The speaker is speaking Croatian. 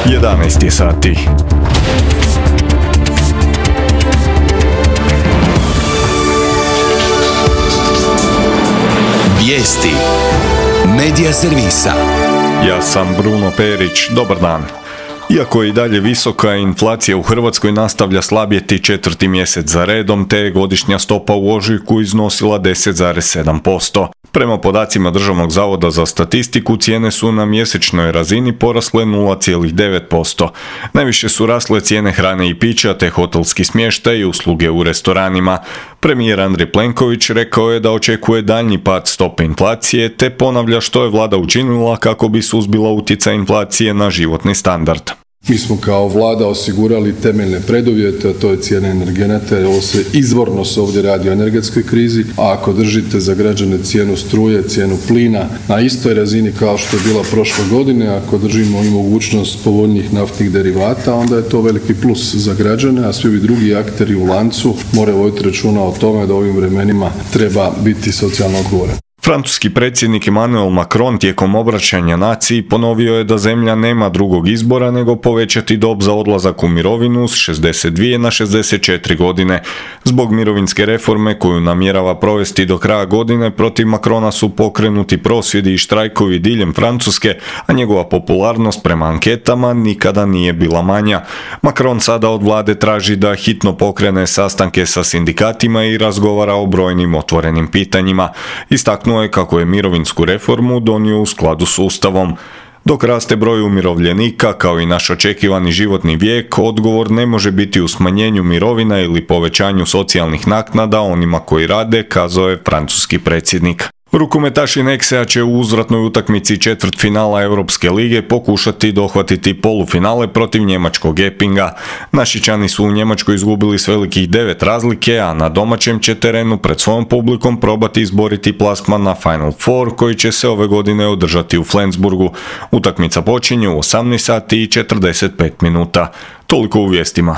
11 sati. Vijesti Medija servisa. Ja sam Bruno Perić, dobar dan. Iako je i dalje visoka, inflacija u Hrvatskoj nastavlja slabjeti četvrti mjesec za redom, te je godišnja stopa u ožujku iznosila 10,7%. Prema podacima Državnog zavoda za statistiku, cijene su na mjesečnoj razini porasle 0,9%. Najviše su rasle cijene hrane i pića, te hotelski smještaj i usluge u restoranima. Premijer Andrej Plenković rekao je da očekuje daljnji pad stope inflacije, te ponavlja što je vlada učinila kako bi suzbila utjecaj inflacije na životni standard. Mi smo kao vlada osigurali temeljne preduvjete, a to je cijene energenata, ovo se izvorno ovdje radi o energetskoj krizi, a ako držite za građane cijenu struje, cijenu plina na istoj razini kao što je bila prošle godine, ako držimo i mogućnost povoljnijih naftnih derivata, onda je to veliki plus za građane, a svi ovi drugi akteri u lancu moraju voditi računa o tome da u ovim vremenima treba biti socijalno odgovoran. Francuski predsjednik Emmanuel Macron tijekom obraćanja naciji ponovio je da zemlja nema drugog izbora nego povećati dob za odlazak u mirovinu s 62 na 64 godine. Zbog mirovinske reforme koju namjerava provesti do kraja godine, protiv Macrona su pokrenuti prosvjedi i štrajkovi diljem Francuske, a njegova popularnost prema anketama nikada nije bila manja. Macron sada od vlade traži da hitno pokrene sastanke sa sindikatima i razgovara o brojnim otvorenim pitanjima. Istaknuo je kako je mirovinsku reformu donio u skladu s Ustavom. Dok raste broj umirovljenika, kao i naš očekivani životni vijek, odgovor ne može biti u smanjenju mirovina ili povećanju socijalnih naknada onima koji rade, kazao je francuski predsjednik. Rukometaši Nexea će u uzvratnoj utakmici četvrtfinala Europske lige pokušati dohvatiti polufinale protiv njemačkog Eppinga. Našičani su u Njemačkoj izgubili s velikih 9 razlike, a na domaćem će terenu pred svojom publikom probati izboriti plasman na Final Four koji će se ove godine održati u Flensburgu. Utakmica počinje u 18 sati i 45 minuta. Toliko u vijestima.